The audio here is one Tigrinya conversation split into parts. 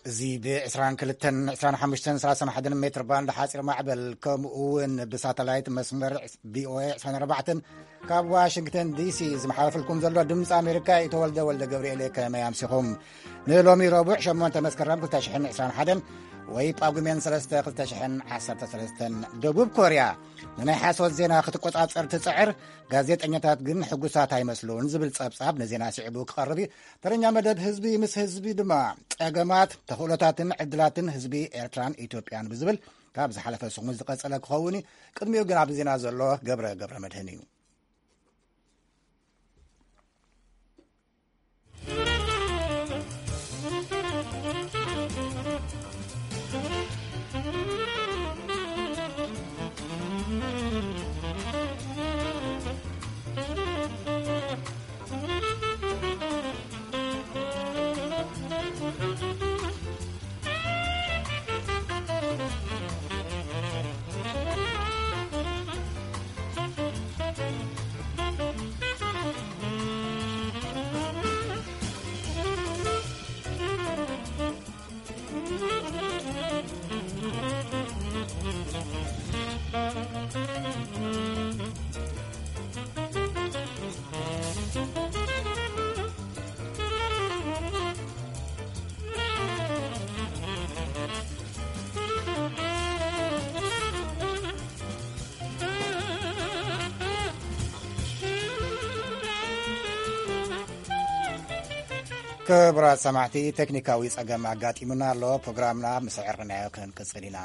እዚ ብ22፣ 25፣ 31 ሜትር ባንድ ሓፂር ማዕበል፣ ከምኡ እውን ብሳተላይት መስመር ቪኦኤ 24 ካብ ዋሽንግተን ዲሲ ዝመሓለፈልኩም ዘሎ ድምፂ ኣሜሪካ እዩ። ተወልደ ወልደ ገብርኤል፣ ከመይ ኣምሲኹም? ንሎሚ ረቡዕ ሸሞንተ መስከረም ክልተ ሽሕን ዕስራን ሓደን ወይ ጳጉሜን ሰለስተ ክልተ ሽሕን ዓሰርተ ሰለስተን። ደቡብ ኮርያ ንናይ ሓሶት ዜና ክትቆጻጸር ትጽዕር፣ ጋዜጠኛታት ግን ሕጉሳት ኣይመስሉን ዝብል ጸብጻብ ንዜና ስዒቡ ክቐርብ እዩ። ተረኛ መደብ ህዝቢ ምስ ህዝቢ ድማ ጸገማት፣ ተኽእሎታትን ዕድላትን ህዝቢ ኤርትራን ኢትዮጵያን ብዝብል ካብ ዝሓለፈ ሰሙን ዝቐጸለ ክኸውን እዩ። ቅድሚኡ ግን ኣብዚ ዜና ዘሎ ገብረ ገብረ መድህን እዩ። ክቡራት ሰማዕቲ፣ ቴክኒካዊ ጸገም ኣጋጢሙና ኣሎ። ፕሮግራምና ምስ ኣዕረናዮ ክንቅጽል ኢና።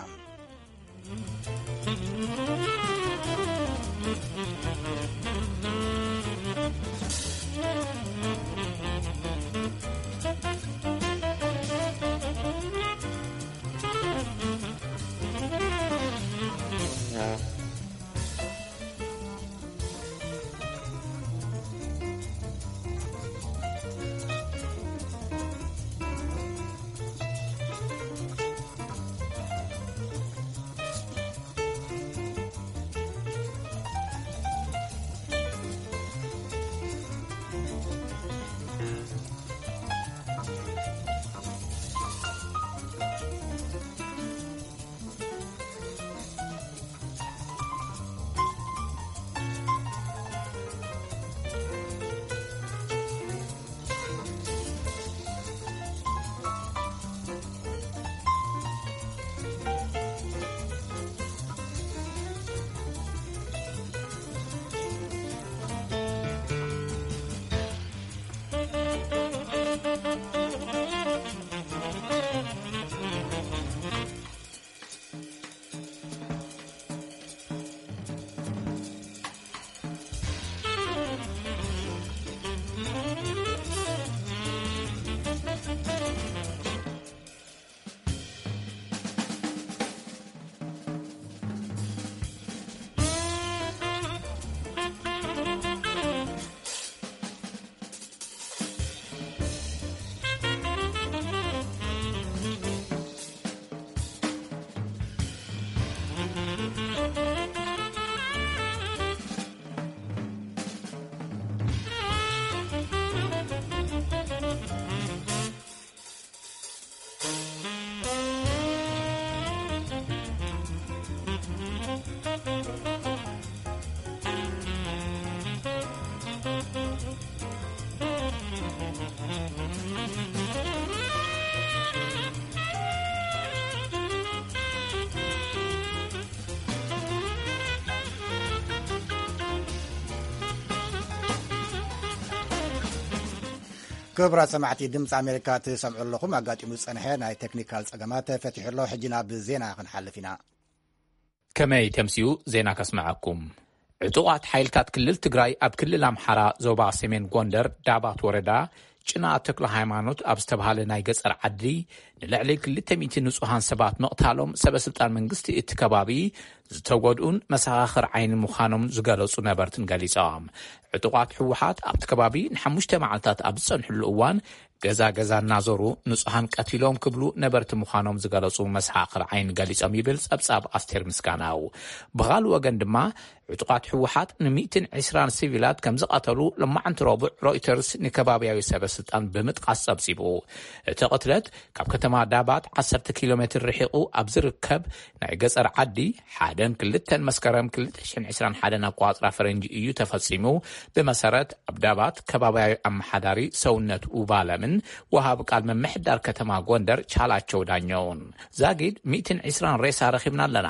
ክቡራት ሰማዕቲ፣ ድምፂ ኣሜሪካ ትሰምዑ ኣለኹም። ኣጋጢሙ ዝፀንሐ ናይ ቴክኒካል ፀገማት ተፈቲሑ ኣሎ። ሕጂ ናብ ዜና ክንሓልፍ ኢና። ከመይ ተምስዩ ዜና ከስምዐኩም። ዕጡቓት ሓይልታት ክልል ትግራይ ኣብ ክልል ኣምሓራ ዞባ ሰሜን ጎንደር ዳባት ወረዳ ጭና ተክለ ሃይማኖት ኣብ ዝተባሃለ ናይ ገጸር ዓዲ ንልዕሊ ክልተ ሚእቲ ንጹሃን ሰባት ምቕታሎም ሰበ ስልጣን መንግስቲ እቲ ከባቢ ዝተጎድኡን መሰኻኽር ዓይኒ ምዃኖም ዝገለጹ ነበርትን ገሊጾም። ዕጡቓት ህወሓት ኣብቲ ከባቢ ንሓሙሽተ መዓልታት ኣብ ዝጸንሕሉ እዋን ገዛ ገዛ እናዞሩ ንጹሃን ቀቲሎም ክብሉ ነበርቲ ምዃኖም ዝገለጹ መሰኻኽር ዓይኒ ገሊጾም ይብል ጸብጻብ ኣስቴር ምስጋናው። ብኻልእ ወገን ድማ ዕጡቓት ህወሓት ን120 ሲቪላት ከም ዝቐተሉ ሎማዓንቲ ረቡዕ ሮይተርስ ንከባብያዊ ሰበ ስልጣን ብምጥቃስ ጸብጺቡ። እቲ ቅትለት ካብ ከተማ ዳባት 10 ኪሎ ሜትር ርሒቑ ኣብ ዝርከብ ናይ ገጸር ዓዲ ሓደን ክልተን መስከረም 2021 ኣቋጽራ ፈረንጂ እዩ ተፈጺሙ። ብመሰረት ኣብ ዳባት ከባብያዊ ኣመሓዳሪ ሰውነት ውባለምን ወሃብ ቃል መምሕዳር ከተማ ጎንደር ቻላቸው ዳኛውን ዛጊድ 120 ሬሳ ረኺብና ኣለና።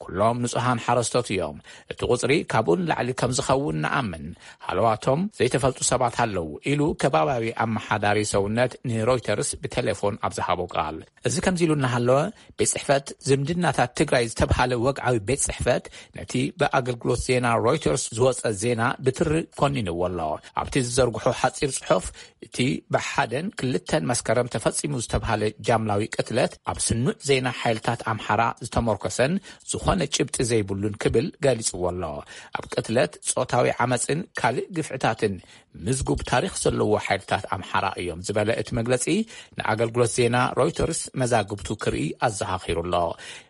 ኩሎም ንጹሃን ሓረስቶት እዮም። እቲ ቁጽሪ ካብኡ ንላዕሊ ከም ዝኸውን ንኣምን። ሃለዋቶም ዘይተፈልጡ ሰባት ኣለዉ ኢሉ ከባብያዊ ኣመሓዳሪ ሰውነት ንሮይተርስ ብቴሌፎን ኣብ ዝሃቦ ቃል። እዚ ከምዚ ኢሉ እናሃለወ ቤት ጽሕፈት ዝምድናታት ትግራይ ዝተብሃለ ወግዓዊ ቤት ጽሕፈት ነቲ ብኣገልግሎት ዜና ሮይተርስ ዝወጸ ዜና ብትሪ ኮኒንዎ ኣሎ። ኣብቲ ዝዘርግሖ ሓጺር ጽሑፍ እቲ ብሓደን ክልተን መስከረም ተፈጺሙ ዝተብሃለ ጃምላዊ ቅትለት ኣብ ስኑዕ ዜና ሓይልታት ኣምሓራ ዝተመርኮሰን ዝኾነ ጭብጢ ዘይብሉን ክብል ገሊጽዎ ኣሎ። ኣብ ቅትለት ጾታዊ ዓመጽን ካልእ ግፍዕታትን ምዝጉብ ታሪኽ ዘለዎ ሓይልታት ኣምሓራ እዮም ዝበለ እቲ መግለጺ ንኣገልግሎት ዜና ሮይተርስ መዛግብቱ ክርኢ ኣዘኻኺሩ ኣሎ።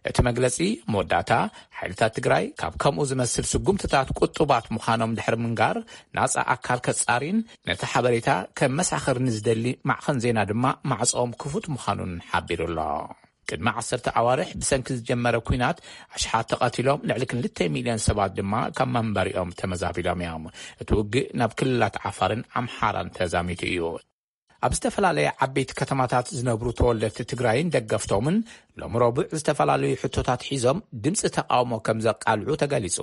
እቲ መግለጺ መወዳእታ ሓይልታት ትግራይ ካብ ከምኡ ዝመስል ስጉምትታት ቁጡባት ምዃኖም ድሕሪ ምንጋር ናጻ ኣካል ከጻሪን ነቲ ሓበሬታ ከመሳኽር ንዝደሊ ማዕኸን ዜና ድማ ማዕጾኦም ክፉት ምዃኑን ሓቢሩ ኣሎ። ቅድሚ ዓሰርተ ኣዋርሕ ብሰንኪ ዝጀመረ ኲናት ኣሽሓት ተቐቲሎም ልዕሊ ክልተ ሚልዮን ሰባት ድማ ካብ መንበሪኦም ተመዛቢሎም እዮም። እቲ ውግእ ናብ ክልላት ዓፋርን ኣምሓራን ተዛሚቱ እዩ። ኣብ ዝተፈላለየ ዓበይቲ ከተማታት ዝነብሩ ተወለድቲ ትግራይን ደገፍቶምን ሎም ረቡዕ ዝተፈላለዩ ሕቶታት ሒዞም ድምፂ ተቃውሞ ከም ዘቃልዑ ተገሊፁ።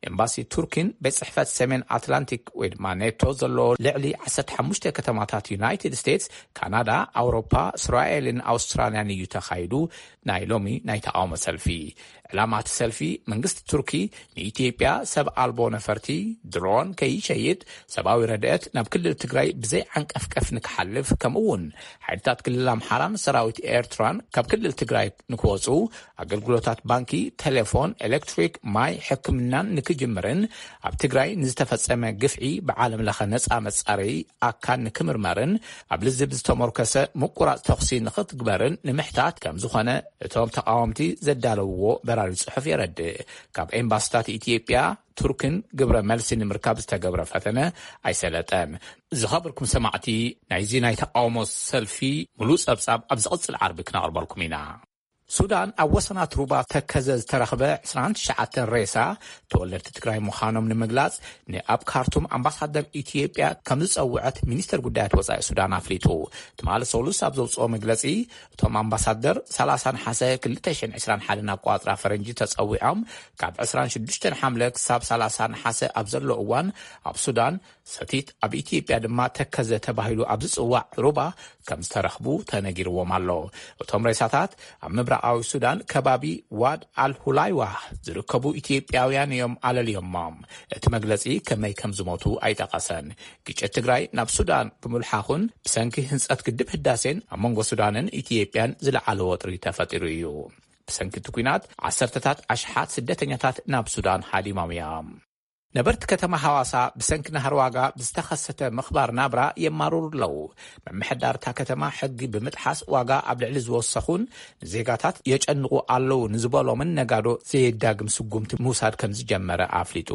ኤምባሲ ቱርኪን ቤት ጽሕፈት ሰሜን ኣትላንቲክ ወይ ድማ ኔቶ ዘለዎ ልዕሊ ዓሰርተ ሓሙሽተ ከተማታት ዩናይትድ ስቴትስ፣ ካናዳ፣ ኣውሮፓ፣ እስራኤልን ኣውስትራልያን እዩ ተኻይዱ። ናይ ሎሚ ናይ ተቃውሞ ሰልፊ ዕላማ እቲ ሰልፊ መንግስቲ ቱርኪ ንኢትዮጵያ ሰብ ኣልቦ ነፈርቲ ድሮን ከይሸይጥ ሰብኣዊ ረድኤት ናብ ክልል ትግራይ ብዘይ ዓንቀፍቀፍ ንክሓልፍ ከምኡ እውን ሓይልታት ክልል ኣምሓራን ሰራዊት ኤርትራን ካብ ክልል ትግራይ ንክወፁ ኣገልግሎታት ባንኪ፣ ቴሌፎን፣ ኤሌክትሪክ፣ ማይ፣ ሕክምናን ንክጅምርን ኣብ ትግራይ ንዝተፈጸመ ግፍዒ ብዓለም ለኸ ነፃ መጻረዪ ኣካል ንክምርመርን ኣብ ልዝብ ዝተመርኮሰ ምቁራፅ ተኹሲ ንክትግበርን ንምሕታት ከም ዝኾነ እቶም ተቃወምቲ ዘዳለውዎ በራሪ ጽሑፍ የረድእ። ካብ ኤምባስታት ኢትዮጵያ ቱርክን ግብረ መልሲ ንምርካብ ዝተገብረ ፈተነ ኣይሰለጠን። ዝኸበርኩም ሰማዕቲ፣ ናይዚ ናይ ተቃውሞ ሰልፊ ሙሉእ ጸብጻብ ኣብ ዝቕጽል ዓርቢ ክነቕርበልኩም ኢና። ሱዳን ኣብ ወሰናት ሩባ ተከዘ ዝተረኽበ ዕስራን ትሽዓተን ሬሳ ተወለድቲ ትግራይ ምዃኖም ንምግላጽ ንኣብ ካርቱም ኣምባሳደር ኢትዮጵያ ከም ዝጸውዐት ሚኒስተር ጉዳያት ወጻኢ ሱዳን ኣፍሊጡ። ትማሊ ሰሉስ ኣብ ዘውጽኦ መግለጺ፣ እቶም ኣምባሳደር ሰላሳ ነሓሰ ክልተ ሽሕን ዕስራን ሓደን ኣቋጽራ ፈረንጂ ተጸዊዖም ካብ ዕስራን ሽዱሽተን ሓምለ ክሳብ ሰላሳ ነሓሰ ኣብ ዘሎ እዋን ኣብ ሱዳን ሰቲት ኣብ ኢትዮጵያ ድማ ተከዘ ተባሂሉ ኣብ ዝጽዋዕ ሩባ ከም ዝተረኽቡ ተነጊርዎም ኣሎ። እቶም ሬሳታት ኣብ ምብራቓዊ ሱዳን ከባቢ ዋድ ኣልሁላይዋ ዝርከቡ ኢትዮጵያውያን እዮም ኣለልዮሞም። እቲ መግለጺ ከመይ ከም ዝሞቱ ኣይጠቐሰን። ግጭት ትግራይ ናብ ሱዳን ብምልሓኹን ብሰንኪ ህንጸት ግድብ ህዳሴን ኣብ መንጎ ሱዳንን ኢትዮጵያን ዝለዓለ ወጥሪ ተፈጢሩ እዩ። ብሰንኪ እቲ ኲናት ዓሰርተታት ኣሽሓት ስደተኛታት ናብ ሱዳን ሃዲሞም እዮም። ነበርቲ ከተማ ሃዋሳ ብሰንኪ ናህሪ ዋጋ ብዝተኸሰተ ምኽባር ናብራ የማርሩ ኣለዉ። ምምሕዳር እታ ከተማ ሕጊ ብምጥሓስ ዋጋ ኣብ ልዕሊ ዝወሰኹን ንዜጋታት የጨንቑ ኣለዉ ንዝበሎምን ነጋዶ ዘየዳግም ስጉምቲ ምውሳድ ከም ዝጀመረ ኣፍሊጡ።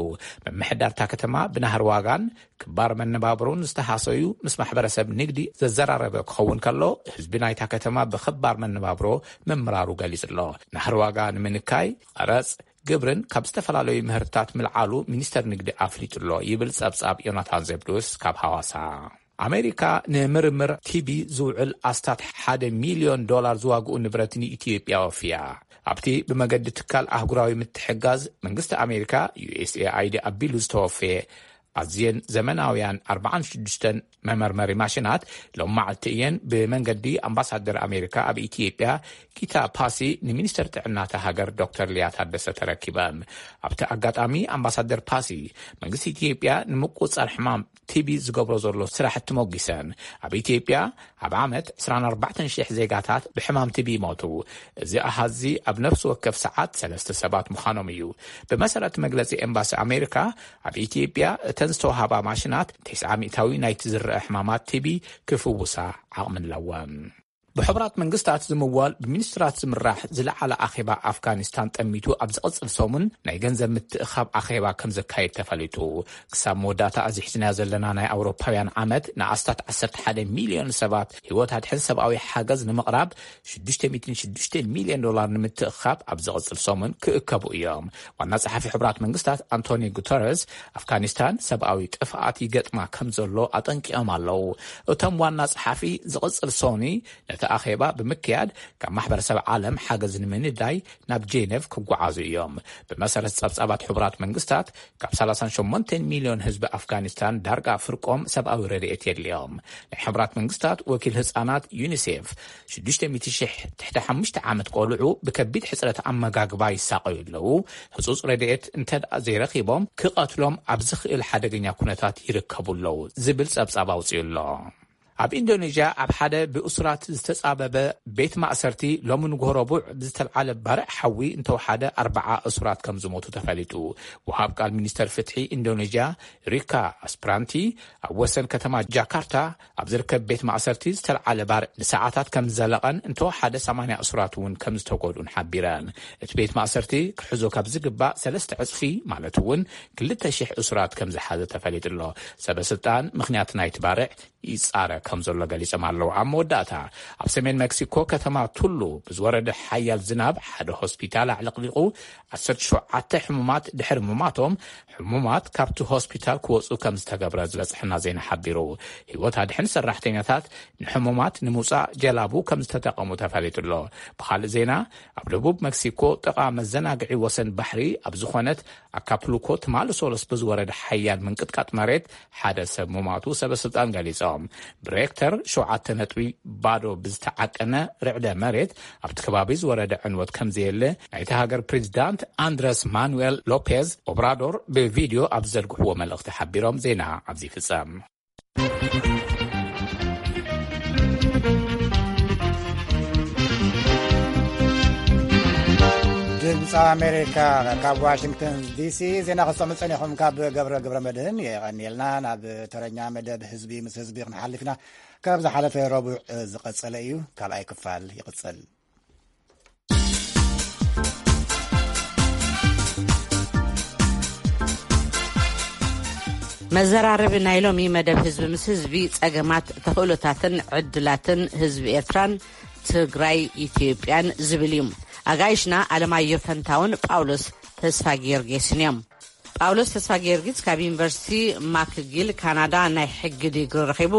ምምሕዳር እታ ከተማ ብናህሪ ዋጋን ክባር መነባብሮን ዝተሃሰዩ ምስ ማሕበረሰብ ንግዲ ዘዘራረበ ክኸውን ከሎ፣ ህዝቢ ናይታ ከተማ ብኽባር መነባብሮ ምምራሩ ገሊጹ ኣሎ። ናህሪ ዋጋ ንምንካይ ቀረጽ ግብርን ካብ ዝተፈላለዩ ምህርትታት ምልዓሉ ሚኒስተር ንግዲ ኣፍሊጡ ኣሎ ይብል ጸብጻብ ዮናታን ዘብዱስ ካብ ሃዋሳ። ኣሜሪካ ንምርምር ቲቢ ዝውዕል ኣስታት ሓደ ሚልዮን ዶላር ዝዋግኡ ንብረት ንኢትዮጵያ ወፍያ። ኣብቲ ብመገዲ ትካል ኣህጉራዊ ምትሕጋዝ መንግስቲ ኣሜሪካ፣ ዩ ኤስ ኤ ኣይ ዲ፣ ኣቢሉ ዝተወፈየ ኣዝየን ዘመናውያን ኣርባዓን ሽዱሽተን መመርመሪ ማሽናት ሎም መዓልቲ እየን ብመንገዲ ኣምባሳደር ኣሜሪካ ኣብ ኢትዮጵያ ጊታ ፓሲ ንሚኒስተር ጥዕናታ ሃገር ዶክተር ሊያ ታደሰ ተረኪበን። ኣብቲ ኣጋጣሚ ኣምባሳደር ፓሲ መንግስቲ ኢትዮጵያ ንምቁጽጻር ሕማም ቲቢ ዝገብሮ ዘሎ ስራሕቲ ሞጊሰን፣ ኣብ ኢትዮጵያ ኣብ ዓመት ዕስራን ኣርባዕተን ሽሕ ዜጋታት ብሕማም ቲቢ ይሞቱ። እዚ ኣሃዚ ኣብ ነፍሲ ወከፍ ሰዓት ሰለስተ ሰባት ምዃኖም እዩ። ብመሰረት መግለጺ ኤምባሲ ኣሜሪካ፣ ኣብ ኢትዮጵያ እተን ዝተዋህባ ማሽናት ተስዓ ሚእታዊ ናይቲ ዝረአ ሕማማት ቲቢ ክፍውሳ ዓቕሚ ኣለወን። ብሕቡራት መንግስታት ዝምወል ብሚኒስትራት ዝምራሕ ዝለዓለ ኣኼባ ኣፍጋኒስታን ጠሚቱ ኣብ ዝቕጽል ሰሙን ናይ ገንዘብ ምትእኻብ ኣኼባ ከም ዘካየድ ተፈሊጡ። ክሳብ መወዳእታ እዚ ሒዝናዮ ዘለና ናይ ኣውሮፓውያን ዓመት ንኣስታት ዓሰርተ ሓደ ሚልዮን ሰባት ህይወት ኣድሕን ሰብኣዊ ሓገዝ ንምቕራብ ሽዱሽተ ሚእትን ሽዱሽተ ሚልዮን ዶላር ንምትእኻብ ኣብ ዝቕጽል ሰሙን ክእከቡ እዮም። ዋና ጸሓፊ ሕቡራት መንግስታት ኣንቶኒ ጉተረስ ኣፍጋኒስታን ሰብኣዊ ጥፍኣት ይገጥማ ከም ዘሎ ኣጠንቂቖም ኣለዉ። እቶም ዋና ጸሓፊ ዝቕጽል ሰኒ ነቲ ኣኼባ ብምክያድ ካብ ማሕበረሰብ ዓለም ሓገዝ ንምንዳይ ናብ ጄኔቭ ክጓዓዙ እዮም። ብመሰረት ጸብጻባት ሕቡራት መንግስታት ካብ ሰላሳን ሸሞንተን ሚልዮን ህዝቢ ኣፍጋኒስታን ዳርጋ ፍርቆም ሰብኣዊ ረድኤት የድልዮም። ናይ ሕቡራት መንግስታት ወኪል ህጻናት ዩኒሴፍ ሽዱሽተ ሚእቲ ሽሕ ትሕቲ ሓሙሽተ ዓመት ቆልዑ ብከቢድ ሕጽረት ኣመጋግባ ይሳቐዩ ኣለዉ። ህጹጽ ረድኤት እንተ ዘይረኺቦም ክቐትሎም ኣብ ዝኽእል ሓደገኛ ኩነታት ይርከቡ ኣለዉ ዝብል ጸብጻብ ኣውጺኡ ኣሎ። ኣብ ኢንዶኔዥያ ኣብ ሓደ ብእሱራት ዝተጻበበ ቤት ማእሰርቲ ሎሚ ንጎሆ ረቡዕ ብዝተልዓለ ባርዕ ሓዊ እንተወሓደ ኣርባዓ እሱራት ከም ዝሞቱ ተፈሊጡ። ወሃብ ቃል ሚኒስተር ፍትሒ ኢንዶኔዥያ ሪካ ኣስፕራንቲ ኣብ ወሰን ከተማ ጃካርታ ኣብ ዝርከብ ቤት ማእሰርቲ ዝተልዓለ ባርዕ ንሰዓታት ከም ዝዘለቐን እንተወሓደ ሰማንያ እሱራት እውን ከም ዝተጎድኡን ሓቢረን። እቲ ቤት ማእሰርቲ ክሕዞ ካብ ዝግባእ ሰለስተ ዕጽፊ ማለት እውን ክልተ ሽሕ እሱራት ከም ዝሓዘ ተፈሊጡ ኣሎ። ሰበ ስልጣን ምኽንያት ናይቲ ባርዕ ይጻረ ከም ዘሎ ገሊጾም ኣለዉ። ኣብ መወዳእታ ኣብ ሰሜን ሜክሲኮ ከተማ ቱሉ ብዝወረደ ሓያል ዝናብ ሓደ ሆስፒታል ኣዕለቕሊቑ ዓሰርተ ሸውዓተ ሕሙማት ድሕሪ ምማቶም ሕሙማት ካብቲ ሆስፒታል ክወጹ ከም ዝተገብረ ዝበጽሐና ዜና ሓቢሩ። ህይወት ኣድሕን ሰራሕተኛታት ንሕሙማት ንምውጻእ ጀላቡ ከም ዝተጠቐሙ ተፈሊጡ ኣሎ። ብኻልእ ዜና ኣብ ደቡብ ሜክሲኮ ጥቓ መዘናግዒ ወሰን ባሕሪ ኣብ ዝኾነት ኣካፕሉኮ ትማሊ ሶለስ ብዝወረደ ሓያል ምንቅጥቃጥ መሬት ሓደ ሰብ ምማቱ ሰበ ስልጣን ገሊጾም። ብሬክተር ሸውዓተ ነጥቢ ባዶ ብዝተዓቀነ ርዕደ መሬት ኣብቲ ከባቢ ዝወረደ ዕንወት ከም ዘየለ ናይቲ ሃገር ፕሬዚዳንት ኣንድረስ ማኑኤል ሎፔዝ ኦብራዶር ብቪድዮ ኣብ ዘርግሕዎ መልእኽቲ ሓቢሮም። ዜና ኣብዚ ይፍጸም። ድምፂ ኣሜሪካ ካብ ዋሽንግተን ዲሲ ዜና ከሰሙ ጸኒኹም። ካብ ገብረ ገብረ መድህን የቐንየልና። ናብ ተረኛ መደብ ህዝቢ ምስ ህዝቢ ክንሓልፍ ኢና። ካብ ዝሓለፈ ረቡዕ ዝቐጸለ እዩ። ካልኣይ ክፋል ይቕጽል። መዘራረቢ ናይ ሎሚ መደብ ህዝቢ ምስ ህዝቢ ጸገማት፣ ተኽእሎታትን ዕድላትን ህዝቢ ኤርትራን ትግራይ ኢትዮጵያን ዝብል እዩ። ኣጋይሽና ኣለማዮ ፈንታውን ጳውሎስ ተስፋ ጊዮርጊስን እዮም። ጳውሎስ ተስፋ ጊዮርጊስ ካብ ዩኒቨርሲቲ ማክጊል ካናዳ ናይ ሕጊ ዲግሪ ረኺቡ፣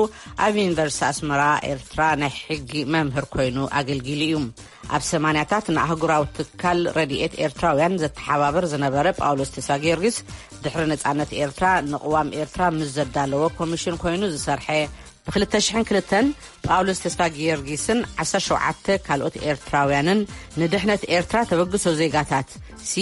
ኣብ ዩኒቨርሲቲ ኣስመራ ኤርትራ ናይ ሕጊ መምህር ኮይኑ ኣገልጊሉ እዩ። ኣብ ሰማንያታት ንኣህጉራዊ ትካል ረድኤት ኤርትራውያን ዘተሓባብር ዝነበረ ጳውሎስ ተስፋ ጊዮርጊስ፣ ድሕሪ ነጻነት ኤርትራ ንቕዋም ኤርትራ ምስ ዘዳለወ ኮሚሽን ኮይኑ ዝሰርሐ፣ ብ ክልተ ሽሕን ክልተን ጳውሎስ ተስፋ ጊዮርጊስን ዓሰርተ ሸውዓተ ካልኦት ኤርትራውያንን ንድሕነት ኤርትራ ተበግሶ ዜጋታት፣ ሲ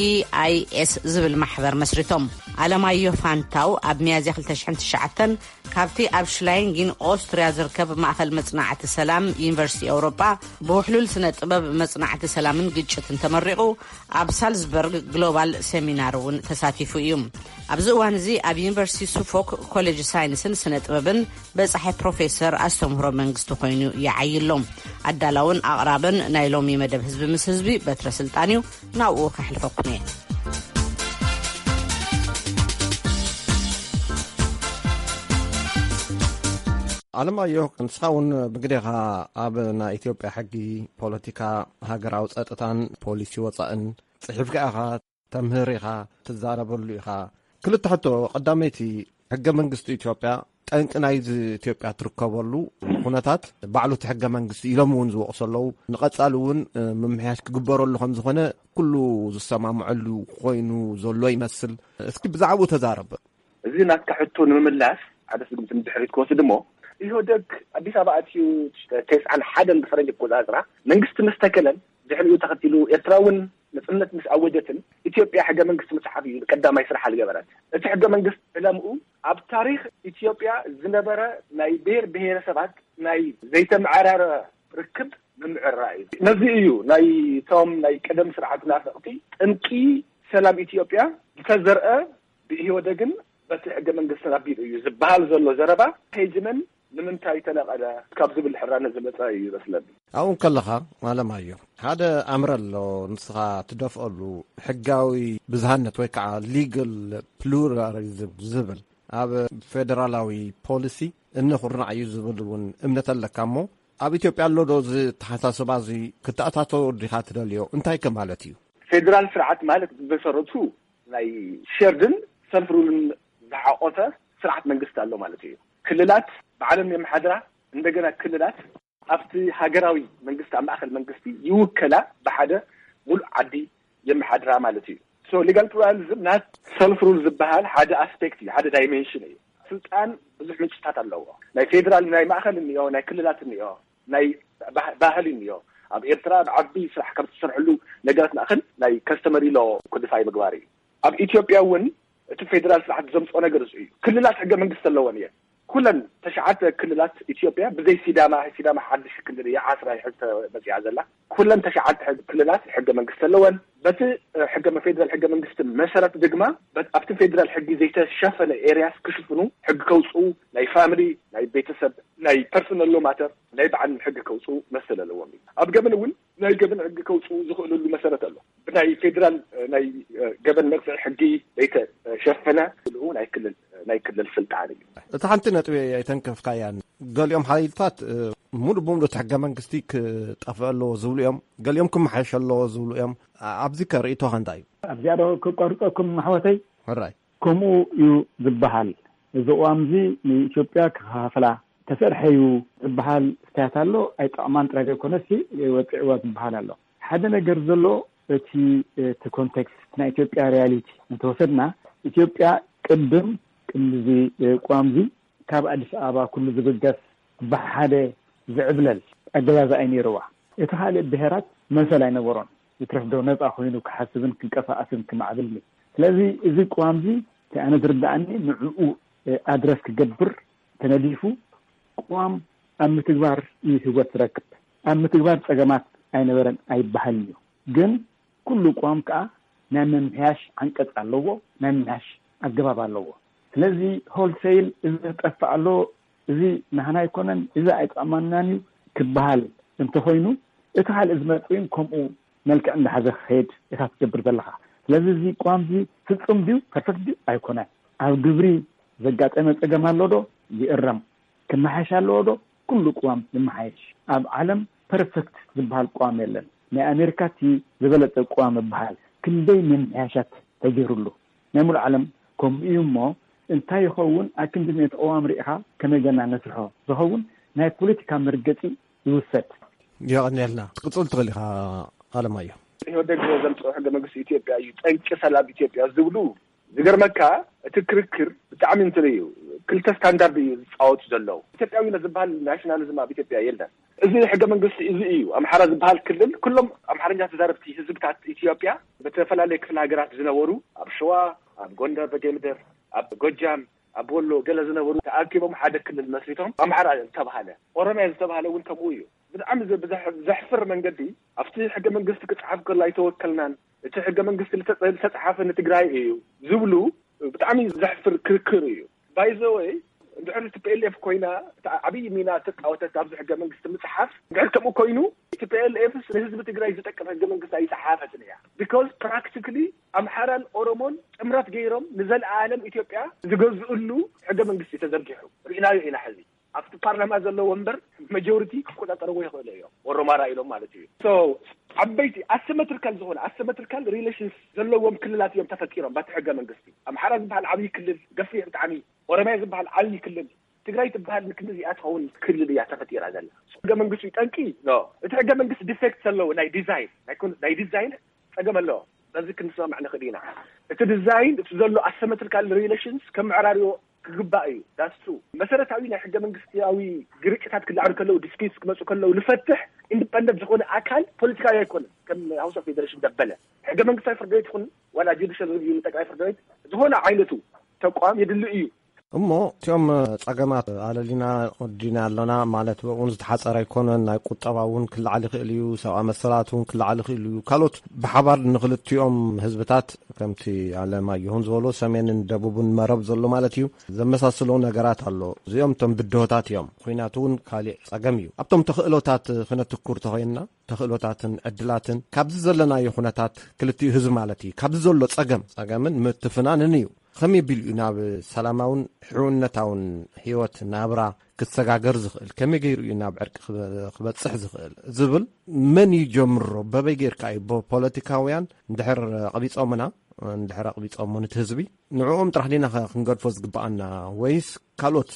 ኣይ ኤስ፣ ዝብል ማሕበር መስሪቶም። ኣለማዮ ፋንታው ኣብ ሚያዝያ ክልተ ሽሕን ትሽዓተን ካብቲ ኣብ ሽላይንጊን ኦስትርያ ዝርከብ ማእኸል መጽናዕቲ ሰላም ዩኒቨርሲቲ ኤውሮጳ ብውሕሉል ስነ ጥበብ መጽናዕቲ ሰላምን ግጭትን ተመሪቑ፣ ኣብ ሳልዝበርግ ግሎባል ሴሚናር እውን ተሳቲፉ እዩ። ኣብዚ እዋን እዚ ኣብ ዩኒቨርሲቲ ሱፎክ ኮሌጅ ሳይንስን ስነ ጥበብን በጻሒ ፕሮፌሰር ኣስተምህሮ መንግስቲ ኮይኑ ይዓይሎም። ኣዳላውን ኣቕራብን ናይ ሎሚ መደብ ህዝቢ ምስ ህዝቢ በትረ ስልጣን እዩ። ናብኡ ከሕልፈኩም እየ። ኣለማዮ፣ ንስኻ እውን ብግዴኻ ኣብ ናይ ኢትዮጵያ ሕጊ፣ ፖለቲካ፣ ሃገራዊ ጸጥታን ፖሊሲ ወጻእን ጽሒፍካ ኢኻ፣ ተምህር ኢኻ፣ ትዛረበሉ ኢኻ። ክልተ ሕቶ፣ ቀዳመይቲ፣ ሕገ መንግስቲ ኢትዮጵያ ጠንቂ ናይዚ ኢትዮጵያ ትርከበሉ ኩነታት ባዕሉ እቲ ሕገ መንግስቲ ኢሎም እውን ዝወቕሱ ኣለዉ። ንቐጻሊ እውን፣ እ፣ ምምሕያሽ ክግበረሉ ከም ዝኾነ ኩሉ ዝሰማምዐሉ ኮይኑ ዘሎ ይመስል። እስኪ ብዛዕባኡ ተዛረብ። እዚ ናትካ ሕቶ ንምምላስ ሓደ ስጉምቲ ንድሕሪት ክወስድ እሞ፣ ኢህወደግ ኣዲስ ኣበባ ኣትዩ ተስዓን ሓደን ብፈረንጂ ኣቆጻጽራ መንግስቲ ምስ ተከለን ድሕሪኡ ተኸቲሉ ኤርትራ እውን ነጽነት ምስ ኣወጀትን ኢትዮጵያ ሕገ መንግስቲ ምጽሓፍ እዩ ቀዳማይ ስራሕ ዝገበረት። እቲ ሕገ መንግስቲ ዕላምኡ ኣብ ታሪኽ ኢትዮጵያ ዝነበረ ናይ ብሔር ብሔረሰባት ናይ ዘይተመዓራረ ርክብ ምምዕራይ እዩ። ነዚ እዩ ናይ እቶም ናይ ቀደም ስርዓት ናፈቕቲ ጠንቂ ሰላም ኢትዮጵያ ዝተዘርአ ብኢህወደግን በቲ ሕገ መንግስትን ኣቢሉ እዩ ዝበሃል ዘሎ ዘረባ ከይጅመን ንምንታይ ተነቐለ ካብ ዝብል ሕራነ ዝመጸ እዩ ይመስለኒ። ኣብኡ ከለኻ ኣለማዮ፣ ሓደ ኣምር ኣሎ፣ ንስኻ ትደፍኣሉ፣ ሕጋዊ ብዝሃነት ወይ ከዓ ሊጋል ፕሉራሊዝም ዝብል ኣብ ፌደራላዊ ፖሊሲ እኒ ኩርናዕ እዩ ዝብል እውን እምነት ኣለካ እሞ፣ ኣብ ኢትዮጵያ ኣሎ ዶ እዚ ተሓሳስባ እዚ? ክተኣታቶ ዲኻ ትደልዮ? እንታይ ከ ማለት እዩ? ፌደራል ስርዓት ማለት ብመሰረቱ ናይ ሸርድን ሰልፍ ሩልን ዝሓቆፈ ስርዓት መንግስቲ ኣሎ ማለት እዩ። ክልላት ባዕለን የመሓድራ። እንደገና ክልላት ኣብቲ ሃገራዊ መንግስቲ፣ ኣብ ማእከል መንግስቲ ይውከላ፣ ብሓደ ሙሉእ ዓዲ የመሓድራ ማለት እዩ። ሶ ሊጋል ፕሉራሊዝም ናት ሰልፍ ሩል ዝበሃል ሓደ ኣስፔክት እዩ፣ ሓደ ዳይሜንሽን እዩ። ስልጣን ብዙሕ ምንጭታት ኣለዎ። ናይ ፌደራል፣ ናይ ማእከል እኒኦ፣ ናይ ክልላት እኒኦ፣ ናይ ባህ- ባህሊ እኒኦ። ኣብ ኤርትራ ብዓቢ ስራሕ ካብ ዝሰርሕሉ ነገራት ማእከል ናይ ከስተመሪ ሎ ኮዲፋይ ምግባር እዩ። ኣብ ኢትዮጵያ እውን እቲ ፌደራል ስርዓት ዘምፅኦ ነገር እዚ እዩ። ክልላት ሕገ መንግስቲ ኣለወን እየን። ኩለን ተሽዓተ ክልላት ኢትዮጵያ ብዘይ ሲዳማ፣ ሲዳማ ሓድሽ ክልል እያ፣ ዓስራ ሕዚ መፅያ ዘላ። ኩለን ተሽዓተ ሕግ- ክልላት ሕገ መንግስቲ ኣለወን። በቲ እ፣ ሕገ ፌደራል ሕገ መንግስቲ መሰረት ድማ በት- ኣብቲ ፌደራል ሕጊ ዘይተሸፈነ ኤሪያስ ክሽፍኑ ሕጊ ከውፅኡ፣ ናይ ፋሚሊ፣ ናይ ቤተሰብ፣ ናይ ፐርሶናል ሎ ማተር ናይ በዓል ሕጊ ከውፅኡ መሰል ኣለዎም እዩ። ኣብ ገበን እውን ናይ ገበን ሕጊ ከውፅኡ ዝኽእልሉ መሰረት ኣሎ። ብናይ ፌደራል እ፣ ናይ እ፣ ገበን መቅፅዒ ሕጊ ዘይተሸፈነ ዝልኡ ናይ ክልል ናይ ክልል ስልጣን እዩ። እቲ ሓንቲ ነጥቢ ኣይተንከፍካያን። ገሊኦም ሓይልታት እ፣ ሙሉእ ብሙሉእ እቲ ሕገ መንግስቲ ክጠፍእ ኣለዎ ዝብሉ እዮም፣ ገሊኦም ክመሓየሽ ኣለዎ ዝብሉ እዮም። ኣ- ኣብዚ ከ ርእይቶኻ እንታይ እዩ? ኣብዚኣ ዶ ክቋርፀኩም ኣሕዋተይ? ሕራይ። ከምኡ እዩ ዝበሃል። እዚ ቅዋም እዚ ንኢትዮጵያ ክኸፋፍላ ተሰርሐ እዩ ዝበሃል ስታያት ኣሎ። ኣይጠቕማን ጥራይ ዘይኮነሲ ወፂዕዋ ዝበሃል ኣሎ። ሓደ ነገር ዘሎ እቲ እቲ ኮንቴክስት ናይ ኢትዮጵያ ሪያሊቲ እንተወሰድና፣ ኢትዮጵያ ቅድም ቅድሚ እዚ ቅዋም እዚ ካብ ኣዲስ ኣበባ ኩሉ ዝብገስ ብሓደ ዝዕብለል ኣገዛዝኣ እዩ ነይርዋ። እቲ ካልእ ብሄራት መሰል ኣይነበሮን። ይትረፍ ዶ ነፃ ኮይኑ ክሓስብን ክንቀሳቐስን ክማዕብልን እዩ። ስለዚ እዚ ቅዋም እዚ እቲ ኣነ ዝርድኣኒ ንዕኡ ኣድረስ ክገብር ተነዲፉ ቅዋም ኣብ ምትግባር እዩ ህይወት ዝረክብ። ኣብ ምትግባር ፀገማት ኣይነበረን ኣይበሃልን እዩ። ግን ኩሉ ቅዋም ከዓ ናይ ምምሕያሽ ዓንቀፅ ኣለዎ፣ ናይ ምምሕያሽ ኣገባብ ኣለዎ። ስለዚ ሆልሴይል እዚ ጠፍእ ኣሎ፣ እዚ ናህና ኣይኮነን፣ እዚ ኣይጠቕመናን እዩ ክበሃል እንተኾይኑ፣ እቲ ካልእ ዝመፅእ እውን ከምኡ መልክዕ እንዳሓዘ ክኸይድ ኢኻ ትገብር ዘለኻ። ስለዚ እዚ ቅዋም እዚ ፍፁም ድዩ ፐርፌክት ድዩ ኣይኮነን። ኣብ ግብሪ ዘጋጠመ ፀገም ኣሎ ዶ ይእረም፣ ክመሓየሽ ኣለዎ ዶ ኩሉ ቅዋም ይመሓየሽ። ኣብ ዓለም ፐርፌክት ዝበሃል ቅዋም የለን። ናይ ኣሜሪካ እቲ ዝበለፀ ቅዋም ይበሃል። ክንደይ ምምሕያሻት ተገይሩሉ ናይ ሙሉእ ዓለም ከምኡ እዩ። እሞ እንታይ ይኸውን? ኣክንዲ ሚእቲ ቅዋም ርኢኻ ከመይ ገና ነስርሖ ዝኸውን ናይ ፖለቲካ መርገፂ ይውሰድ። የቐንየልና። ክትቅፅል ትኽእል ኢኻ ኣለማዮ። ኢህወደግ ዘምፅኦ ሕገ መንግስቲ ኢትዮጵያ እዩ ጠንቂ ሰላም ኢትዮጵያ ዝብሉ። ዝገርመካ እቲ ክርክር ብጣዕሚ እንትን እዩ። ክልተ ስታንዳርድ እዩ ዝፃወቱ ዘለዉ። ኢትዮጵያዊነት ዝበሃል ናሽናሊዝም ኣብ ኢትዮጵያ የለን። እዚ ሕገ መንግስቲ እዚ እዩ። ኣምሓራ ዝበሃል ክልል ኩሎም ኣምሓርኛ ተዛረብቲ ህዝብታት ኢትዮጵያ ብተፈላለየ ክፍለ ሃገራት ዝነበሩ ኣብ ሸዋ፣ ኣብ ጎንደር በጌምድር፣ ኣብ ጎጃም፣ ኣብ ወሎ ገለ ዝነበሩ ተኣኪቦም ሓደ ክልል መስሪቶም ኣምሓራ ዝተባሃለ። ኦሮሚያ ዝተባሃለ እውን ከምኡ እዩ። ብጣዕሚ ዘ- ብዘሕ- ዘሕፍር መንገዲ ኣብቲ ሕገ መንግስቲ ክፅሓፍ ከሎ ኣይተወከልናን፣ እቲ ሕገ መንግስቲ ልተ- ዝተፅሓፈ ንትግራይ እዩ ዝብሉ ብጣዕሚ ዘሕፍር ክርክር እዩ። ባይዘወይ እንድሕር ቲ ፒ ኤል ኤፍ ኮይና እታ ዓብዪ ሚና ተፃወተት ኣብዚ ሕገ መንግስቲ ምፅሓፍ እንድሕር ከምኡ ኮይኑ እቲ ፒ ኤል ኤፍ ንህዝቢ ትግራይ ዝጠቅም ሕገ መንግስቲ ኣይፀሓፈትን እያ። ቢካዝ ፕራክቲካሊ ኣምሓራን ኦሮሞን ጥምረት ገይሮም ንዘለኣለም ኢትዮጵያ ዝገዝእሉ ሕገ መንግስቲ ተዘርጊሑ ርኢናዮ ኢና። ሕዚ ኣብቲ ፓርላማ ዘሎ ወንበር መጆሪቲ ክቆፃፀርዎ ይኽእሉ እዮም። ኦሮማራ ኢሎም ማለት እዩ። ሶ ዓበይቲ ኣሰመትሪካል ዝኾነ ኣሰመትሪካል ሪሌሽንስ ዘለዎም ክልላት እዮም ተፈጢሮም ባቲ ሕገ መንግስቲ። ኣምሓራ ዝበሃል ዓብዪ ክልል ገፊሕ ብጣዕሚ፣ ኦሮሚያ ዝበሃል ዓብዪ ክልል፣ ትግራይ ትበሃል ንክንዲ እዚኣ ትኸውን ክልል እያ ተፈጢራ ዘላ። ሕገ መንግስቲ ጠንቂ ኖ፣ እቲ ሕገ መንግስቲ ዲፌክት ዘለዎ ናይ ዲዛይን ናይ ኮን- ናይ ዲዛይን ፀገም ኣለዎ። በዚ ክንስማማዕ ንኽእል ኢና። እቲ ዲዛይን፣ እቲ ዘሎ ኣሰመትሪካል ሪሌሽንስ ከምዕራርዮ ክግባእ እዩ። ዳስቱ መሰረታዊ ናይ ሕገ መንግስታዊ ግርጭታት ክለዓሉ ከለዉ፣ ዲስፒትስ ክመፁ ከለዉ፣ ንፈትሕ ኢንዲፐንደንት ዝኾነ ኣካል ፖለቲካዊ ኣይኮነን። ከም ሃውስ ኦፍ ፌደሬሽን ደበለ ሕገ መንግስታዊ ፍርድ ቤት ይኹን ዋላ ጁዲሻል ሪቪው ንጠቅላይ ፍርድ ቤት ዝኾነ ዓይነቱ ተቋም የድሊ እዩ። እሞ እቲኦም ጸገማት ኣለሊና ወዲና ኣለና ማለት እውን ዝተሓጸረ ኣይኮነን። ናይ ቁጠባ እውን ክለዓል ይኽእል እዩ። ሰብኣዊ መሰላት እውን ክለዓል ይኽእል እዩ። ካልኦት ብሓባር ንክልቲኦም ህዝብታት ከምቲ ኣለማየሁን ዝበሎ ሰሜንን ደቡብን መረብ ዘሎ ማለት እዩ ዘመሳስሎ ነገራት ኣሎ። እዚኦም እቶም ብድሆታት እዮም። ኩናት እውን ካሊእ ጸገም እዩ። ኣብቶም ተኽእሎታት ክነትኩር ተኾይንና ተኽእሎታትን ዕድላትን ካብዚ ዘለናዮ ኩነታት ክልቲኡ ህዝቢ ማለት እዩ ካብዚ ዘሎ ጸገም ጸገምን ምትፍናንን እዩ። ከመይ ቢሉ እዩ ናብ ሰላማውን ሕውነታውን ህይወት ናብራ ክሰጋገር ዝኽእል? ከመይ ገይሩ እዩ ናብ ዕርቂ ክበ- ክበጽሕ ዝኽእል ዝብል መን እዩ ጀምሮ? በበይ ገይርካ እዩ ብፖለቲካውያን እንድሕር ኣቕቢጾምና እንድሕር ኣቕቢጾሞ ነቲ ህዝቢ ንዕኦም ጥራሕ ዲና ኸ ክንገድፎ ዝግብኣና ወይስ ካልኦት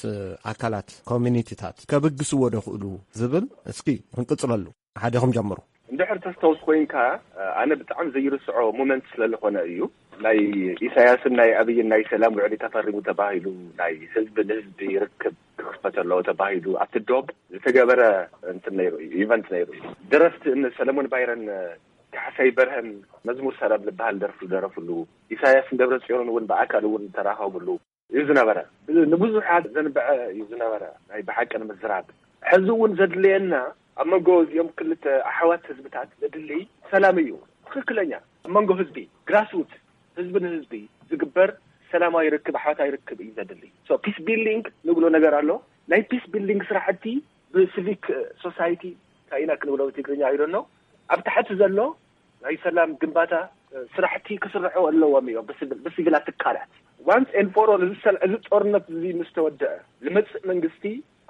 ኣካላት ኮሚኒቲታት ከብግስዎ ዶ ክእሉ ዝብል እስኪ ክንቅጽለሉ ሓደ ኹም ጀምሩ። እንድሕር ተስተውስ ኮይንካ ኣነ ብጣዕሚ ዘይርስዖ ሞመንት ስለዝኾነ እዩ። ናይ ኢሳያስን ናይ ኣብይን ናይ ሰላም ውዕሊ ተፈሪሙ ተባሂሉ ናይ ህዝቢ ንህዝቢ ርክብ ክኽፈት ኣለዎ ተባሂሉ ኣብቲ ዶብ ዝተገበረ እንትን ነይሩ እዩ፣ ኢቨንት ነይሩ እዩ። ደረፍቲ እነ ሰለሞን ባይረን ካሕሳይ በርሀን መዝሙር ሰላም ዝበሃል ደርፊ ዝደረፍሉ፣ ኢሳያስን ደብረጽዮንን እውን ብኣካል እውን ዝተራኸብሉ እዩ ዝነበረ። ንብዙሓት ዘንበዐ እዩ ዝነበረ። ናይ ብሓቂ ንምዝራብ ሕዚ እውን ዘድልየና ኣብ መንጎ እዚኦም ክልተ ኣሕዋት ህዝብታት ዘድሊ ሰላም እዩ። ትኽክለኛ ኣብ መንጎ ህዝቢ ግራስሩት ህዝቢ ንህዝቢ ዝግበር ሰላማዊ ርክብ ኣሕዋታዊ ርክብ እዩ ዘድሊ። ፒስ ቢልዲንግ ንብሎ ነገር ኣሎ። ናይ ፒስ ቢልዲንግ ስራሕቲ ብሲቪክ ሶሳይቲ እንታይ ኢና ክንብሎ ብትግርኛ ይደኖ ኣብ ታሕቲ ዘሎ ናይ ሰላም ግንባታ ስራሕቲ ክስርሑ ኣለዎም እዮም። ብሲቪላት ትካላት ዋንስ ኤን ፎር ኦል እዚ ጦርነት እዚ ምስ ተወደአ ዝመፅእ መንግስቲ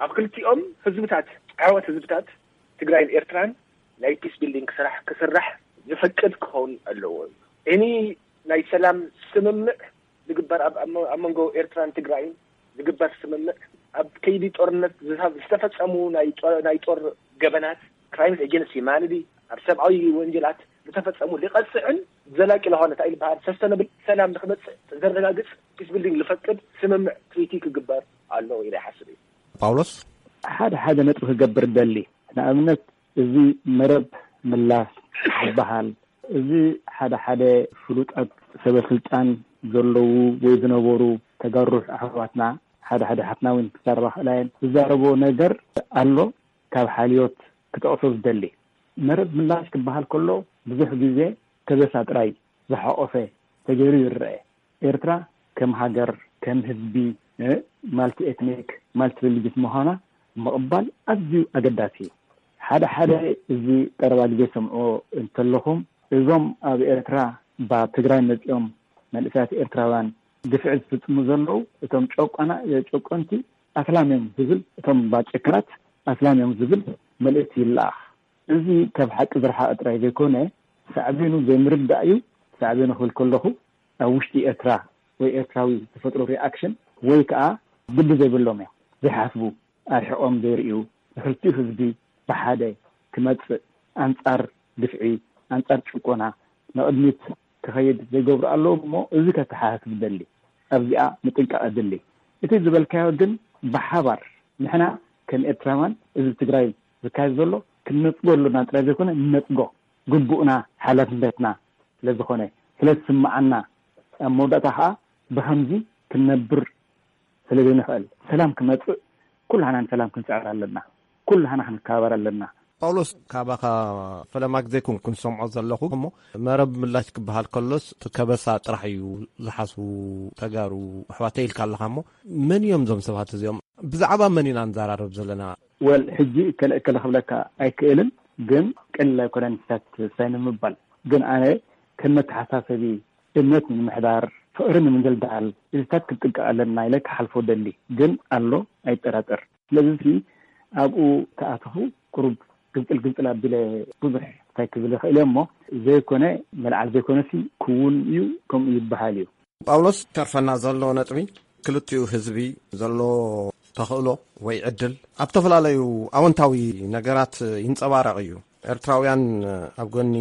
ኣብ ክልቲኦም ህዝብታት ዓወት ህዝብታት ትግራይን ኤርትራን ናይ ፒስ ቢልዲንግ ስራሕ ክስራሕ ዝፈቅድ ክኸውን ኣለዎ እዩ። ኒ ናይ ሰላም ስምምዕ ዝግበር ኣብ መንጎ ኤርትራን ትግራይን ዝግበር ስምምዕ ኣብ ከይዲ ጦርነት ዝተፈፀሙ ናይ ጦር ገበናት ክራይምስ ኤጀንሲ ማንዲ ኣብ ሰብኣዊ ወንጀላት ዝተፈፀሙ ሊቐፅዕን ዘላቂ ለሆነ እንታይ ዝበሃል ሰስተነብል ሰላም ንክመፅእ ዘረጋግፅ ፒስ ቢልዲንግ ዝፈቅድ ስምምዕ ትሪቲ ክግበር ኣለዎ ኢለ ይሓስብ እዩ። ጳውሎስ ሓደ ሓደ ነጥቢ ክገብር ደሊ ንኣብነት እዚ መረብ ምላሽ ዝበሃል እዚ ሓደ ሓደ ፍሉጣት ሰበስልጣን ዘለዉ ወይ ዝነበሩ ተጋሩ ኣሕዋትና ሓደ ሓደ ሓትና እውን ክዛረባ ክእላ እየን ዝዛረቦ ነገር ኣሎ። ካብ ሓልዮት ክጠቕሶ ዝደሊ መረብ ምላሽ ክበሃል ከሎ ብዙሕ ግዜ ከበሳ ጥራይ ዝሓቆፈ ተገይሩ ይረአ። ኤርትራ ከም ሃገር ከም ህዝቢ ማልቲ ኤትኒክ ማልቲ ሪሊጅስ ምዃና ምቕባል ኣዝዩ ኣገዳሲ እዩ። ሓደ ሓደ እዚ ቀረባ ግዜ ሰምዖ እንተለኹም እዞም ኣብ ኤርትራ ብ ትግራይ መፂኦም መንእሰያት ኤርትራውያን ግፍዒ ዝፍፅሙ ዘለዉ እቶም ጨቆና ጨቆንቲ ኣስላም እዮም ዝብል እቶም ባጨካናት ኣስላም እዮም ዝብል መልእክቲ ይለኣኽ። እዚ ካብ ሓቂ ዝረሓቐ ጥራይ ዘይኮነ ሳዕቤኑ ዘይምርዳእ እዩ። ሳዕቤኑ ክብል ከለኹ ኣብ ውሽጢ ኤርትራ ወይ ኤርትራዊ ዝፈጥሮ ሪኣክሽን ወይ ከዓ ግዲ ዘይብሎም እዮም ዘይሓስቡ ኣርሒቖም ዘይርእዩ ንክልቲኡ ህዝቢ ብሓደ ክመፅእ ኣንፃር ግፍዒ ኣንፃር ጭቆና ንቕድሚት ክኸይድ ዘይገብሩ ኣለዉ እሞ እዚ ከተሓሳስብ ደሊ ኣብዚኣ ምጥንቃቕ ኣድሊ። እቲ ዝበልካዮ ግን ብሓባር ንሕና ከም ኤርትራውያን እዚ ትግራይ ዝካየድ ዘሎ ክንነፅጎ ኣሎና ጥራይ ዘይኮነ ንነፅጎ ግቡእና ሓላፍነትና ስለዝኾነ ስለዝስምዓና ኣብ መወዳእታ ከዓ ብኸምዚ ክንነብር ስለዘይንኽእል ሰላም ክመፅእ ኩላህና ንሰላም ክንፅዕር ኣለና። ኩላህና ክንከባበር ኣለና። ጳውሎስ ካባኻ ፈለማ ግዜ ኩን ክንሰምዖ ዘለኹ እሞ መረብ ምላሽ ክበሃል ከሎስ እቲ ከበሳ ጥራሕ እዩ ዝሓስቡ ተጋሩ ኣሕዋተይ ኢልካ ኣለኻ እሞ መን እዮም እዞም ሰባት እዚኦም? ብዛዕባ መን ኢና ንዘራረብ ዘለና? ወል ሕጂ እከለ እከለ ክብለካ ኣይክእልን ግን ቀሊል ኣይኮነን ስታት ሳይ ንምባል ግን ኣነ ከም መተሓሳሰቢ እምነት ንምምሕዳር ፍቕሪ ንምድልዳል እዚታት ክንጥንቀቕ ኣለና ኢለ ክሓልፎ ደሊ ግን ኣሎ ኣይጠራጠር ስለዚ ኣብኡ ተኣተኹ ቁሩብ ግብፅል ግብፅል ኣቢለ ብዙሕ እንታይ ክብል ይኽእል እየ እሞ ዘይኮነ መልዓል ዘይኮነሲ ክውን እዩ ከምኡ ይበሃል እዩ። ጳውሎስ ተርፈና ዘሎ ነጥቢ ክልቲኡ ህዝቢ ዘሎ ተኽእሎ ወይ ዕድል ኣብ ዝተፈላለዩ ኣወንታዊ ነገራት ይንፀባረቕ እዩ። ኤርትራውያን ኣብ ጎኒ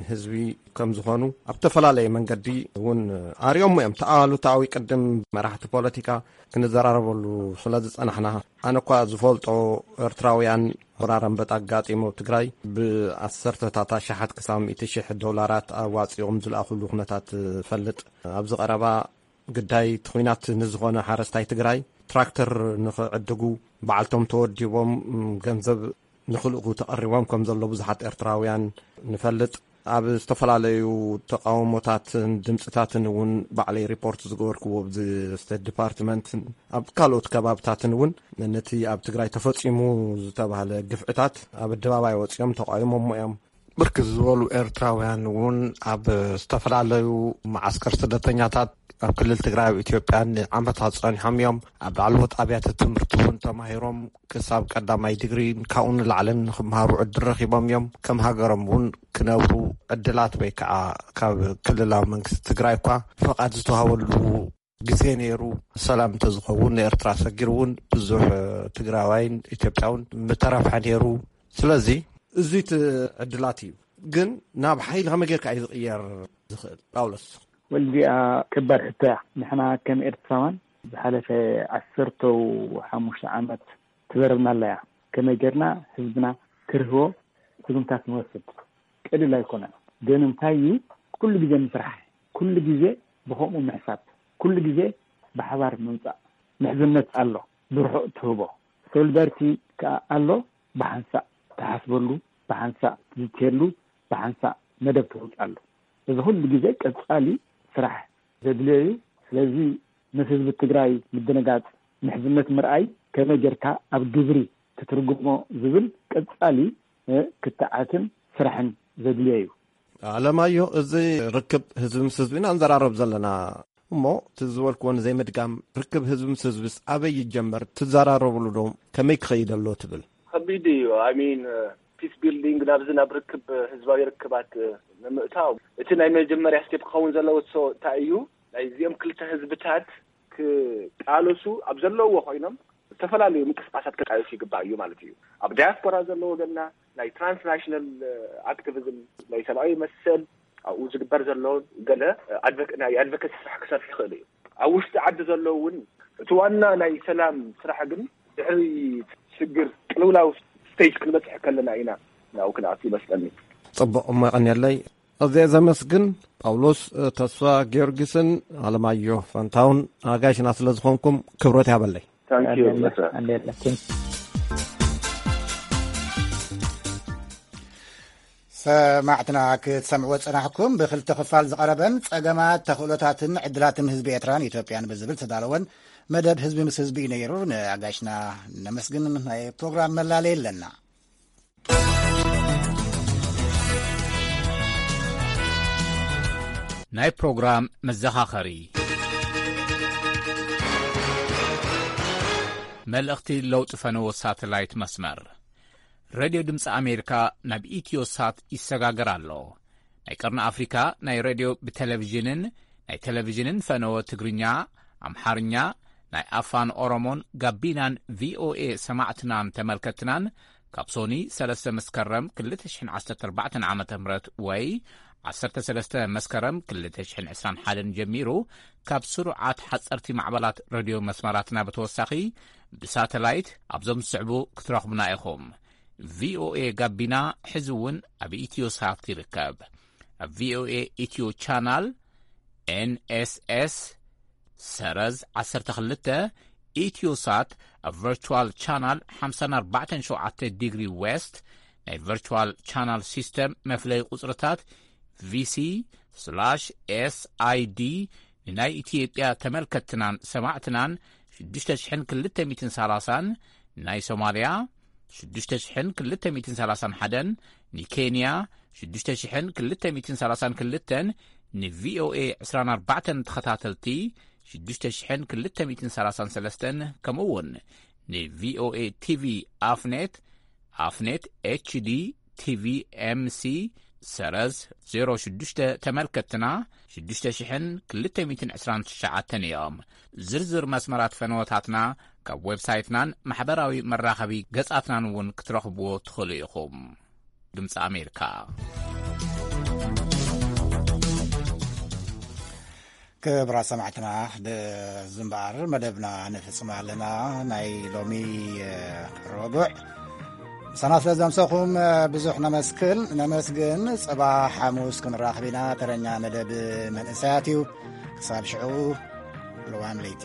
ህዝቢ ከም ዝኾኑ ኣብ ዝተፈላለየ መንገዲ እውን ኣርእዮሞ እዮም። ተኣሉታዊ ቅድም መራሕቲ ፖለቲካ ክንዘራረበሉ ስለ ዝጸናሕና፣ ኣነ እኳ ዝፈልጦ ኤርትራውያን ወራር ኣንበጣ ኣጋጢሙ ኣብ ትግራይ ብኣሰርተታት ኣሽሓት ክሳብ ሚእቲ ሽሕ ዶላራት ኣዋጺኦም ዝለኣኹሉ ኩነታት እፈልጥ። ኣብዚ ቀረባ ግዳይ እቲ ኲናት ንዝኾነ ሓረስታይ ትግራይ ትራክተር ንኽዕድጉ በዓልቶም ተወዲቦም ገንዘብ ንኽልእኩ ተቐሪቦም ከም ዘሎ ብዙሓት ኤርትራውያን ንፈልጥ። ኣብ ዝተፈላለዩ ተቃውሞታትን ድምፅታትን እውን ባዕለይ ሪፖርት ዝገበርክዎ ኣብዚ ስቴት ዲፓርትመንትን ኣብ ካልኦት ከባብታትን እውን ነቲ ኣብ ትግራይ ተፈፂሙ ዝተባህለ ግፍዕታት ኣብ ኣደባባይ ወፂኦም ተቃዊሞሞ እዮም። ብርክት ዝበሉ ኤርትራውያን እውን ኣብ ዝተፈላለዩ መዓስከር ስደተኛታት ኣብ ክልል ትግራይ ኣብ ኢትዮጵያ ንዓመታት ጸኒሖም እዮም። ኣብ ላዕለዎት ኣብያተ ትምህርቲ እውን ተማሂሮም ክሳብ ቀዳማይ ዲግሪ ካብኡ ንላዕልን ንክምሃሩ ዕድል ረኺቦም እዮም። ከም ሃገሮም እውን ክነብሩ ዕድላት ወይ ከዓ ካብ ክልላዊ መንግስቲ ትግራይ እኳ ፈቓድ ዝተዋሃበሉ ግዜ ነይሩ። ሰላም እንተዝኸውን ንኤርትራ ሰጊሩ እውን ብዙሕ ትግራዋይን ኢትዮጵያውን ምተረፍሐ ነይሩ። ስለዚ እዚ እቲ ዕድላት እዩ። ግን ናብ ሓይሊ ከመይ ጌርካ እዩ ዝቕየር ዝኽእል? ጳውሎስ። ወልዲኣ፣ ከባድ ሕቶ እያ። ንሕና ከም ኤርትራውያን ዝሓለፈ ዓሰርተው ሓሙሽተ ዓመት ትበረብና ኣለያ። ከመይ ጌርና ህዝብና ክርህቦ ስጉምታት ንወስድ? ቀሊል ኣይኮነን። ግን እንታይ እዩ፣ ኩሉ ግዜ ምስራሕ፣ ኩሉ ግዜ ብኸምኡ ምሕሳብ፣ ኩሉ ግዜ ብሓባር ምምጻእ። ምሕዝነት ኣሎ፣ ብርሑቕ ትህቦ። ሶሊዳሪቲ ከኣ ኣሎ፣ ብሓንሳእ ትሓስበሉ፣ ብሓንሳእ ትዝትየሉ፣ ብሓንሳእ መደብ ተውጻሉ። እዚ ኩሉ ግዜ ቀጻሊ ስራሕ ዘድልዮ እዩ። ስለዚ ምስ ህዝቢ ትግራይ ምድንጋጽ፣ ምሕዝነት ምርኣይ፣ ከመይ ጌርካ ኣብ ግብሪ ክትርጉሞ ዝብል ቀጻሊ ክትዓትን ስራሕን ዘድልዮ እዩ። ኣለማዮ፣ እዚ ርክብ ህዝቢ ምስ ህዝቢ ኢና ንዘራረብ ዘለና እሞ፣ እቲ ዝበልክዎ ንዘይምድጋም፣ ርክብ ህዝቢ ምስ ህዝብስ ኣበይ ይጀመር? ትዘራረብሉ ዶ? ከመይ ክኸይድ ኣሎ ትብል? ከቢድ እዩ። ኣይ ሚን፣ ፒስ ቢልዲንግ ናብዚ ናብ ርክብ፣ ህዝባዊ ርክባት ንምእታው፣ እቲ ናይ መጀመርያ ስቴፕ ክኸውን ዘለዎ ሶ እንታይ እዩ? ናይ እዚኦም ክልተ ህዝብታት ክቃለሱ ኣብ ዘለውዎ ኮይኖም ዝተፈላለዩ ምንቅስቃሳት ክቃየሱ ይግባእ እዩ ማለት እዩ። ኣብ ዳያስፖራ ዘሎ ወገንና ናይ ትራንስናሽናል ኣክቲቪዝም፣ ናይ ሰብኣዊ መሰል፣ ኣብኡ ዝግበር ዘሎ ገለ ኣድቨክ-፣ ናይ ኣድቮኬሲ ስራሕ ክሰርሕ ይኽእል እዩ። ኣብ ውሽጢ ዓዲ ዘሎ እውን እቲ ዋና ናይ ሰላም ስራሕ ግን ድሕሪ ሽግር ቅልውላው ስቴጅ ክንበፅሕ ከለና ኢና ናብኡ ክንኣቱ ይመስለኒ። ጽቡቕ፣ እሞ የቐንየለይ። ኣዝየ ዘመስግን ጳውሎስ ተስፋ ጊዮርጊስን ኣለማዮ ፋንታውን ኣጋይሽና ስለ ዝኾንኩም ክብረት ያበለይ። ታንኪዩ። ኣንዴለ፣ ኣንዴለ። ሰማዕትና ክትሰምዕዎ ዝጸናሕኩም ብክልተ ክፋል ዝቐረበን ጸገማት ተኽእሎታትን ዕድላትን ህዝቢ ኤርትራን ኢትዮጵያን ብዝብል ዝተዳለወን መደብ ህዝቢ ምስ ህዝቢ እዩ ነይሩ። ንኣጋይሽና ነመስግን። ናይ ፕሮግራም መላለይ ኣለና። ናይ ፕሮግራም መዘኻኸሪ። መልእኽቲ ለውጢ ፈነወ ሳተላይት መስመር። ሬድዮ ድምፂ ኣሜሪካ ናብ ኢትዮ ሳት ይሰጋገር ኣሎ። ናይ ቀርኒ ኣፍሪካ ናይ ሬድዮ ብቴሌቪዥንን ናይ ቴሌቪዥንን ፈነወ ትግርኛ፣ ኣምሓርኛ፣ ናይ ኣፋን ኦሮሞን ጋቢናን ቪኦኤ ሰማዕትናን ተመልከትናን ካብ ሶኒ ሰለስተ መስከረም ክልተ ሽሕን ዓሰርተ ኣርባዕተን ዓመተ ምህረት ወይ ዓሰርተ ሰለስተ መስከረም ክልተ ሽሕን ዕስራን ሓደን ጀሚሩ ካብ ስሩዓት ሓፀርቲ ማዕበላት ሬድዮ መስመራትና ብተወሳኺ ብሳተላይት ኣብዞም ዝስዕቡ ክትረኽቡና ኢኹም። ቪኦኤ ጋቢና ሕዚ እውን ኣብ ኢትዮ ሳት ይርከብ። ኣብ ቪኦኤ ኢትዮ ቻናል ኤንኤስኤስ ሰረዝ ዓሰርተ ክልተ፣ ኢትዮሳት ኣብ ቨርቹዋል ቻናል ሓምሳን ኣርባዕተን ሸውዓተ ዲግሪ ዌስት፣ ናይ ቨርቹዋል ቻናል ሲስተም መፍለይ ቁጽርታት ቪሲ ስላሽ ኤስኣይዲ፣ ንናይ ኢትዮጵያ ተመልከትናን ሰማዕትናን ሽዱሽተ ሽሕን ክልተ ሚእትን ሰላሳን፣ ናይ ሶማልያ ሽዱሽተ ሽሕን ክልተ ሚእትን ሰላሳን ሓደን፣ ንኬንያ ሽዱሽተ ሽሕን ክልተ ሚእትን ሰላሳን ክልተን፣ ንቪኦኤ ዕስራን ኣርባዕተን ተኸታተልቲ ሽዱሽተ ሽሕን ክልተ ሚእትን ሰላሳን ሰለስተን፣ ከምኡ እውን ንቪኦኤ ቲቪ ኣፍኔት፣ ኣፍኔት ኤችዲ ቲቪ ኤምሲ ሰረዝ ዜሮ ሽዱሽተ ተመልከትና ሽዱሽተ ሽሕን ክልተ ሚእትን ዕስራን ትሽዓተን እዮም። ዝርዝር መስመራት ፈነወታትና ካብ ዌብሳይትናን ማሕበራዊ መራኸቢ ገጻትናን እውን ክትረኽብዎ ትኽእሉ ኢኹም። ድምፂ ኣሜሪካ። ክብራት ሰማዕትና፣ ብዝምባር መደብና ንፍጽም ኣለና። ናይ ሎሚ ረቡዕ ምሳና ስለ ዘምሰኹም ብዙሕ ነመስክል ነመስግን። ጽባሕ ሓሙስ ክንራኸብ ኢና። ተረኛ መደብ መንእሰያት እዩ። ክሳብ ሽዑ ልዋም ለይቲ።